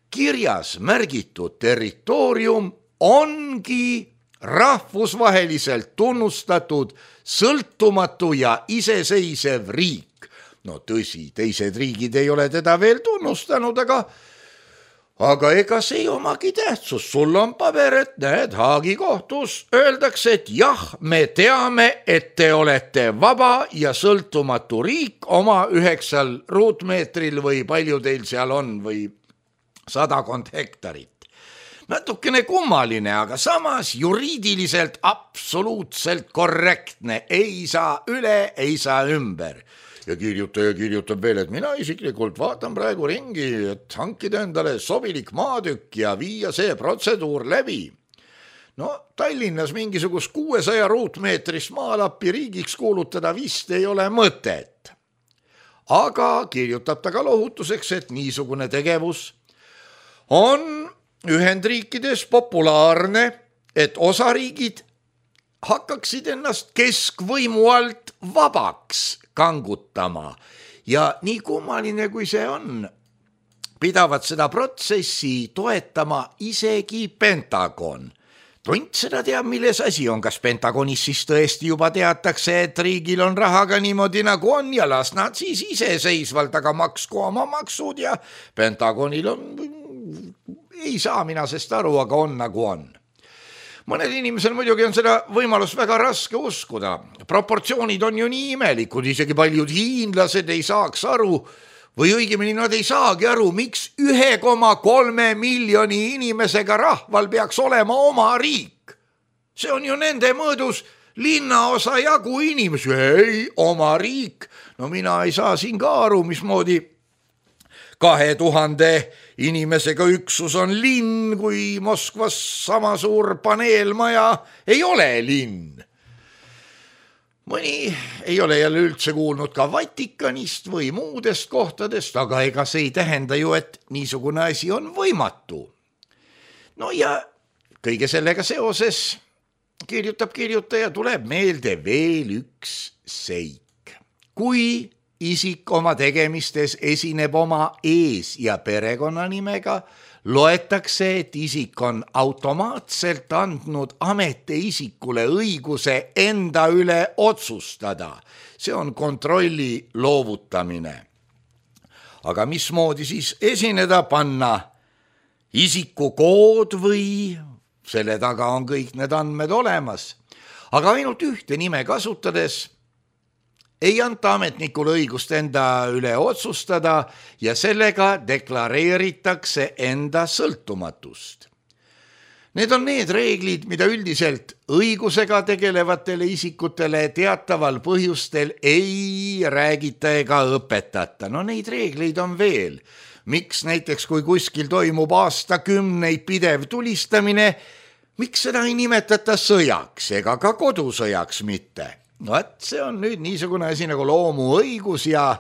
Kirjas märgitud territoorium ongi rahvusvaheliselt tunnustatud sõltumatu ja iseseisev riik. Tõsi, teised riigid ei ole teda veel tunnustanud, aga ega see ei omagi tähtsust, sul on paber, et näed, Haagi kohtus öeldakse, et jah, me teame, et te olete vaba ja sõltumatu riik oma 9 ruutmeetril või palju teil seal on või 100 hektarit. Natukene kummaline, aga samas juriidiliselt absoluutselt korrektne, ei saa üle, ei saa ümber. Ja kirjutaja kirjutab veel, et mina isiklikult vaatan praegu ringi, et hankida endale sobilik maatükk ja viia see protseduur läbi. No Tallinnas mingisugust 600 ruutmeetrist maalappi riigiks kuulutada vist ei ole mõtet. Aga kirjutab ta ka lohutuseks, et niisugune tegevus on Ühendriikides populaarne, et osariigid hakkaksid ennast keskvõimu alt vabaks kangutama ja nii kummaline kui see on, pidavad seda protsessi toetama isegi Pentagon. Tont seda teab, milles asi on, kas Pentagonis siis tõesti juba teatakse, et riigil on rahaga niimoodi nagu on ja las nad siis iseseisvalt, aga maksku oma maksud ja Pentagonil on, ei saa mina sest aru, aga on nagu on. Mõned inimesel muidugi on seda võimalust väga raske uskuda. Proportsioonid on ju nii imelikud, isegi paljud hiinlased ei saaks aru, või õigemini nad ei saagi aru, miks 1,3 miljoni inimesega rahval peaks olema oma riik. See on ju nende mõõdus linnaosa jagu inimesi, ei, oma riik. No mina ei saa siin ka aru, mismoodi 2000 inimesega üksus on linn, kui Moskvas sama suur paneelmaja ei ole linn. Mõni ei ole jälle üldse kuulnud ka Vatikanist või muudest kohtadest, aga ega see ei tähenda ju, et niisugune asi on võimatu. No ja kõige sellega seoses kirjutab kirjutaja, tuleb meelde veel üks seik. Kui isik oma tegemistes esineb oma ees- ja perekonnanimega, loetakse, et isik on automaatselt andnud ametiisikule õiguse enda üle otsustada. See on kontrolli loovutamine. Aga mismoodi siis esineda, panna isikukood või selle taga on kõik need andmed olemas. Aga ainult ühte nime kasutades ei anta ametnikule õigust enda üle otsustada ja sellega deklareeritakse enda sõltumatust. Need on need reeglid, mida üldiselt õigusega tegelevatele isikutele teataval põhjustel ei räägita ega õpetata. No neid reegleid on veel. Miks näiteks, kui kuskil toimub aastakümneid pidev tulistamine, miks seda ei nimetata sõjaks ega ka kodusõjaks mitte? No see on nüüd niisugune asi nagu loomuõigus ja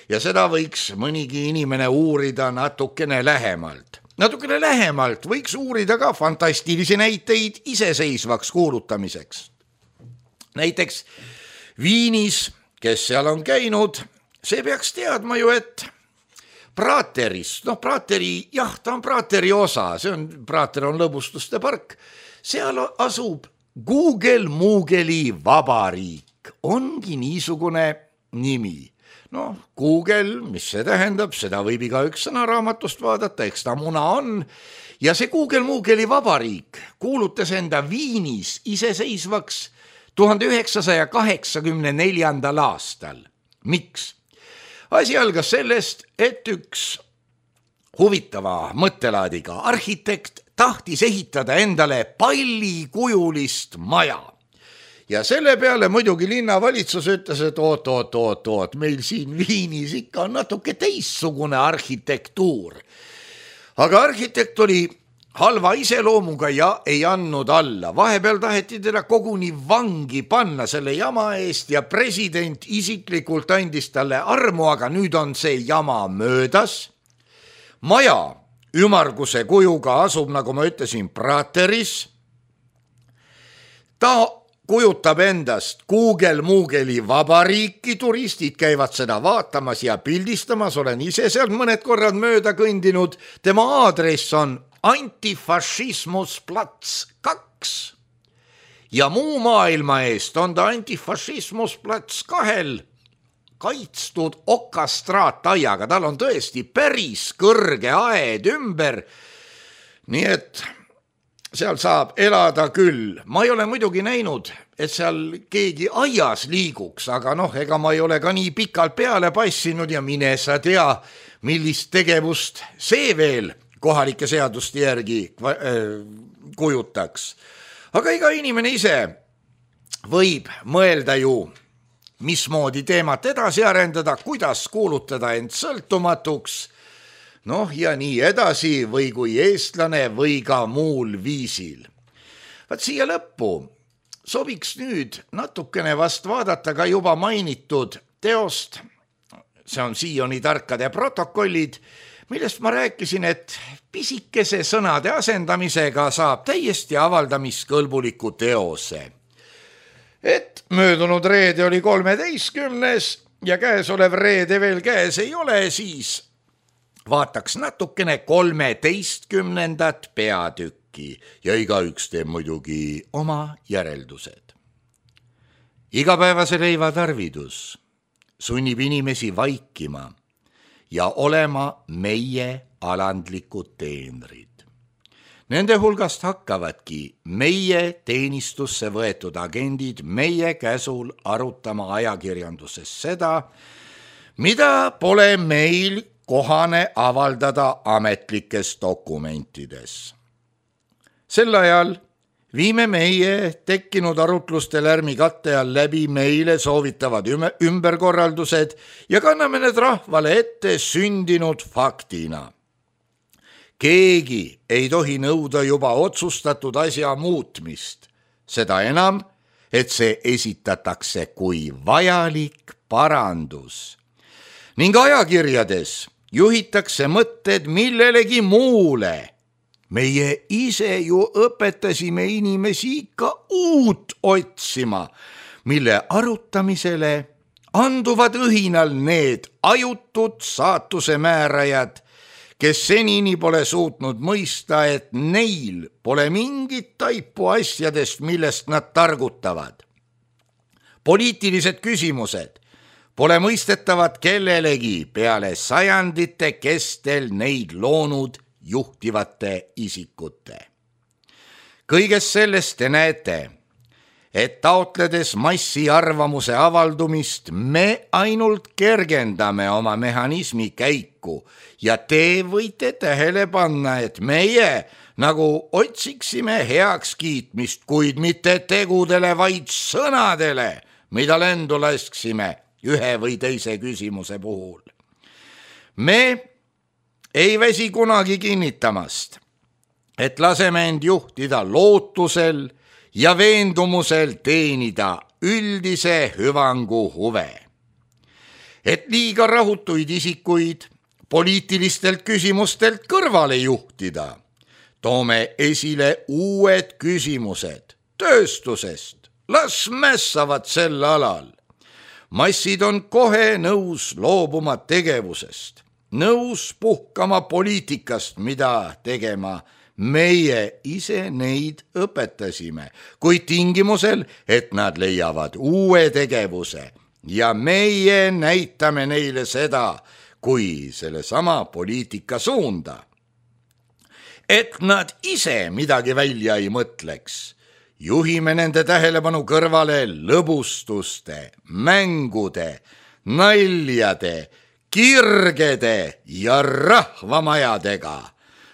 seda võiks mõnigi inimene uurida natukene lähemalt. Natukene lähemalt võiks uurida ka fantastilisi näiteid iseseisvaks kuulutamiseks. Näiteks Viinis, kes seal on käinud, see peaks teadma ju, et Prateris, Prateri, jah, ta on Prateri osa, Prater on lõbustuste park, seal asub Google-Moogle'i vabariik, ongi niisugune nimi. Google, mis see tähendab, seda võib igaüks sõnaraamatust vaadata, eks ta muna on. Ja see Google-Moogle'i vabariik kuulutas enda Viinis iseseisvaks 1984. aastal. Miks? Asi algas sellest, et üks huvitava mõttelaadiga arhitekt tahtis ehitada endale pallikujulist maja. Ja selle peale muidugi linnavalitsus ütles, et oot, meil siin Viinis ikka on natuke teissugune arhitektuur. Aga arhitekt oli halva iseloomuga ja ei andnud alla. Vahepeal taheti teda koguni vangi panna selle jama eest ja president isiklikult andis talle armu, aga nüüd on see jama möödas. Maja ümarguse kujuga asub, nagu ma ütlesin, Prateris. Ta kujutab endast Google-Moogle'i vabariiki, turistid käivad seda vaatamas ja pildistamas, olen ise sealt mõned korrad mööda kõndinud. Tema aadress on Antifašismusplats 2 ja muu maailma eest on ta Antifašismusplats 2 kaitstud okastraataiaga, tal on tõesti päris kõrge aed ümber. Nii et seal saab elada küll. Ma ei ole muidugi näinud, et seal keegi aias liiguks, aga ega ma ei ole ka nii pikalt peale passinud ja mine sa tea, millist tegevust see veel kohalike seaduste järgi kujutaks. Aga iga inimene ise võib mõelda ju, mismoodi teemat edasi arendada, kuidas kuulutada end sõltumatuks, ja nii edasi või kui eestlane või ka muul viisil. Vaat siia lõppu sobiks nüüd natukene vast vaadata ka juba mainitud teost, see on Sioni tarkade protokollid, millest ma rääkisin, et pisikese sõnade asendamisega saab täiesti avaldamiskõlbuliku teose. Et möödunud reede oli 13. ja käesolev reede veel käes ei ole, siis vaataks natukene 13. peatükki ja igaüks teeb muidugi oma järeldused. Igapäevase leiva tarvidus sunnib inimesi vaikima ja olema meie alandlikud teenrid. Nende hulgast hakkavadki meie teenistusse võetud agendid meie käsul arutama ajakirjanduses seda, mida pole meil kohane avaldada ametlikes dokumentides. Sel ajal viime meie tekkinud arutluste lärmi katte all läbi meile soovitavad ümberkorraldused ja kanname need rahvale ette sündinud faktina. Keegi ei tohi nõuda juba otsustatud asja muutmist, seda enam, et see esitatakse kui vajalik parandus. Ning ajakirjades juhitakse mõtted millelegi muule. Meie ise ju õpetasime inimesi ikka uut otsima, mille arutamisele anduvad õhinal need ajutud saatuse määrajad, kes senini pole suutnud mõista, et neil pole mingit taipu asjadest, millest nad targutavad. Poliitilised küsimused pole mõistetavad kellelegi peale sajandite kestel neid loonud juhtivate isikute. Kõigest sellest te näete, et taotledes massi arvamuse avaldumist me ainult kergendame oma mehhanismi käiku ja te võite tähele panna, et meie nagu otsiksime heakskiitmist, kuid mitte tegudele, vaid sõnadele, mida lendu lasksime ühe või teise küsimuse puhul. Me ei väsi kunagi kinnitamast, et laseme end juhtida lootusel ja veendumusel teenida üldise hüvangu huve. Et liiga rahutuid isikuid poliitilistelt küsimustelt kõrvale juhtida, toome esile uued küsimused tööstusest. Las mässavad sel alal. Massid on kohe nõus loobuma tegevusest, nõus puhkama poliitikast, mida tegema meie ise neid õpetasime, kuid tingimusel, et nad leiavad uue tegevuse ja meie näitame neile seda kui sellesama poliitika suunda. Et nad ise midagi välja ei mõtleks, juhime nende tähelepanu kõrvale lõbustuste, mängude, naljade, kirgede ja rahvamajadega.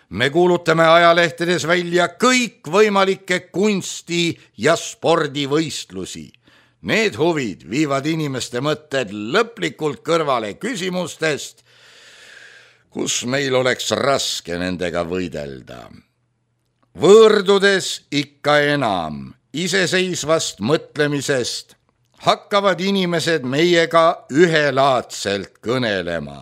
Me kuulutame ajalehtedes välja kõikvõimalikke kunsti- ja spordivõistlusi. Need huvid viivad inimeste mõtted lõplikult kõrvale küsimustest, kus meil oleks raske nendega võidelda. Võõrdudes ikka enam iseseisvast mõtlemisest hakkavad inimesed meiega ühelaadselt kõnelema,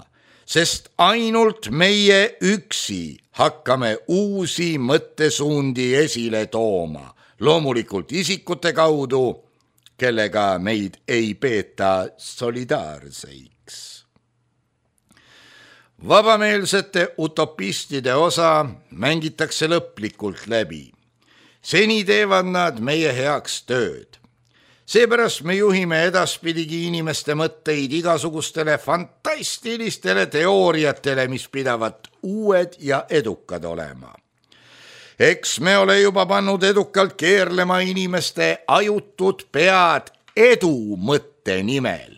sest ainult meie üksi hakkame uusi mõttesuundi esile tooma, loomulikult isikute kaudu, kellega meid ei peeta solidaarseiks. Vabameelsete utopistide osa mängitakse lõplikult läbi. Seni teevad nad meie heaks tööd. Seepärast me juhime edaspidigi inimeste mõtteid igasugustele fantastilistele teooriatele, mis pidavat uued ja edukad olema. Eks me ole juba pannud edukalt keerlema inimeste ajutud pead edu mõtte nimel.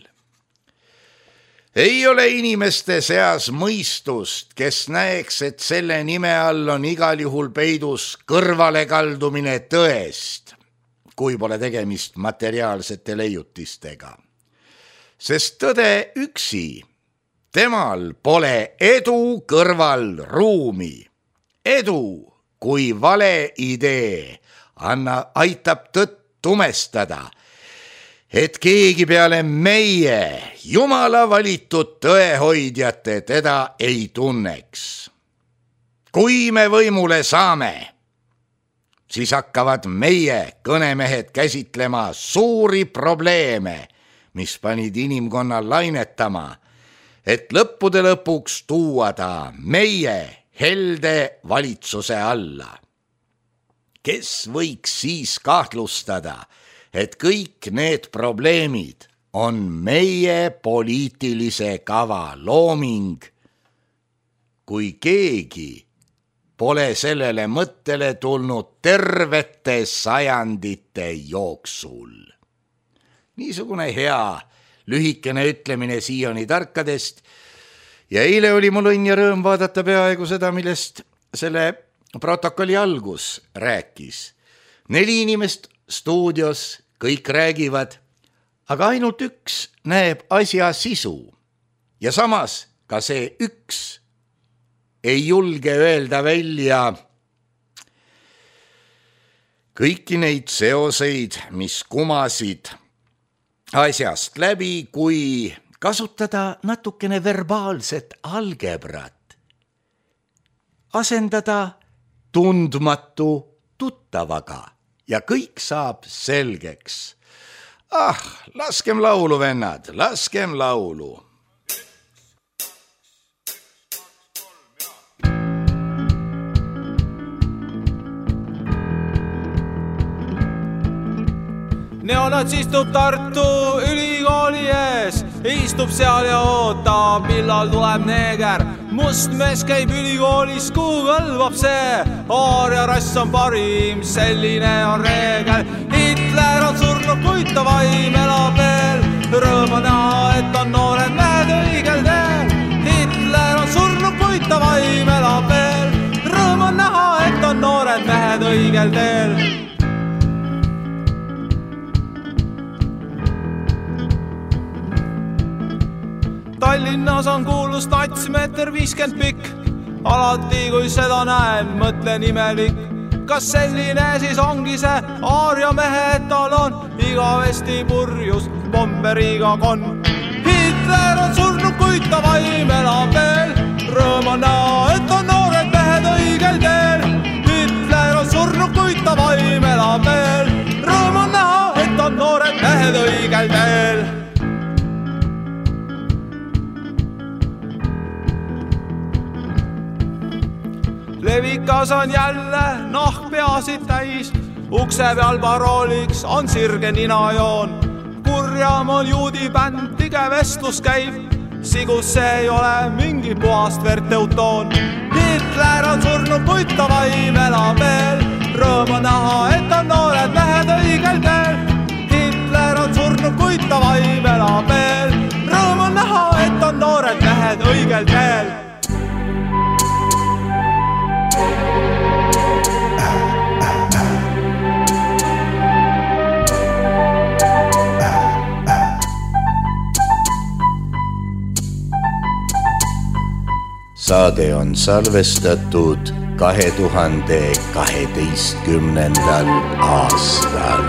Ei ole inimeste seas mõistust, kes näeks, et selle nime all on igal juhul peidus kõrvalekaldumine tõest, kui pole tegemist materiaalsete leiutistega. Sest tõde üksi, temal pole edu kõrval ruumi. Edu, kui vale idee aitab tõtt tumestada, et keegi peale meie, Jumala valitud tõehoidjate, teda ei tunneks. Kui me võimule saame, siis hakkavad meie kõnemehed käsitlema suuri probleeme, mis panid inimkonnal lainetama, et lõppude lõpuks tuua ta meie helde valitsuse alla. Kes võiks siis kahtlustada, et kõik need probleemid on meie poliitilise kava looming, kui keegi pole sellele mõttele tulnud tervete sajandite jooksul. Niisugune hea lühikene ütlemine Sioni tarkadest ja eile oli mul õnn ja rõõm vaadata peaaegu seda, millest selle protokolli algus rääkis. 4 inimest stuudios, kõik räägivad, aga ainult üks näeb asja sisu ja samas ka see üks ei julge öelda välja kõiki neid seoseid, mis kumasid asjast läbi, kui kasutada natukene verbaalset algebrat, asendada tundmatu tuttavaga ja kõik saab selgeks. Laskem laulu, vennad, laskem laulu. Neonats istub Tartu ülikooli ees, istub seal ja ootab, millal tuleb neeger. Must mees käib ülikoolis, kuhu kõlvab see, aaria rass on parim, selline on reegel. Hitler on surnud, kuid ta vaim elab veel, rõõm on näha, et on noored mehed õigel teel. Hitler on surnud, kuid ta vaim elab veel, rõõm on näha, et on noored mehed õigel teel. Tallinnas on kuulus natsimeeter 50 pikk, alati kui seda näen, mõtlen imelik. Kas selline siis ongi see aaria mehe etalon, igavesti purjus bomberiga kon. Hitler on surnud, kuid ta vaim elab veel, rõõm on näha, et on noored mehed õigel teel. Hitler on surnud, kuid ta vaim elab veel, rõõm on näha, et on noored mehed õigel teel. Levikas on jälle nahkpeasid täis, ukse peal parooliks on sirge ninajoon. Kurjam on juudi bänd, tige vestlus käib, sigus see ei ole mingi puhast verteutoon. Hitler on surnud, kuid ta vaim elab veel, rõõm on näha, et on noored mehed õigel teel. Hitler on surnud, kuid ta vaim elab veel, rõõm on näha, et on noored mehed õigel teel. Saade on salvestatud 2012. aastal.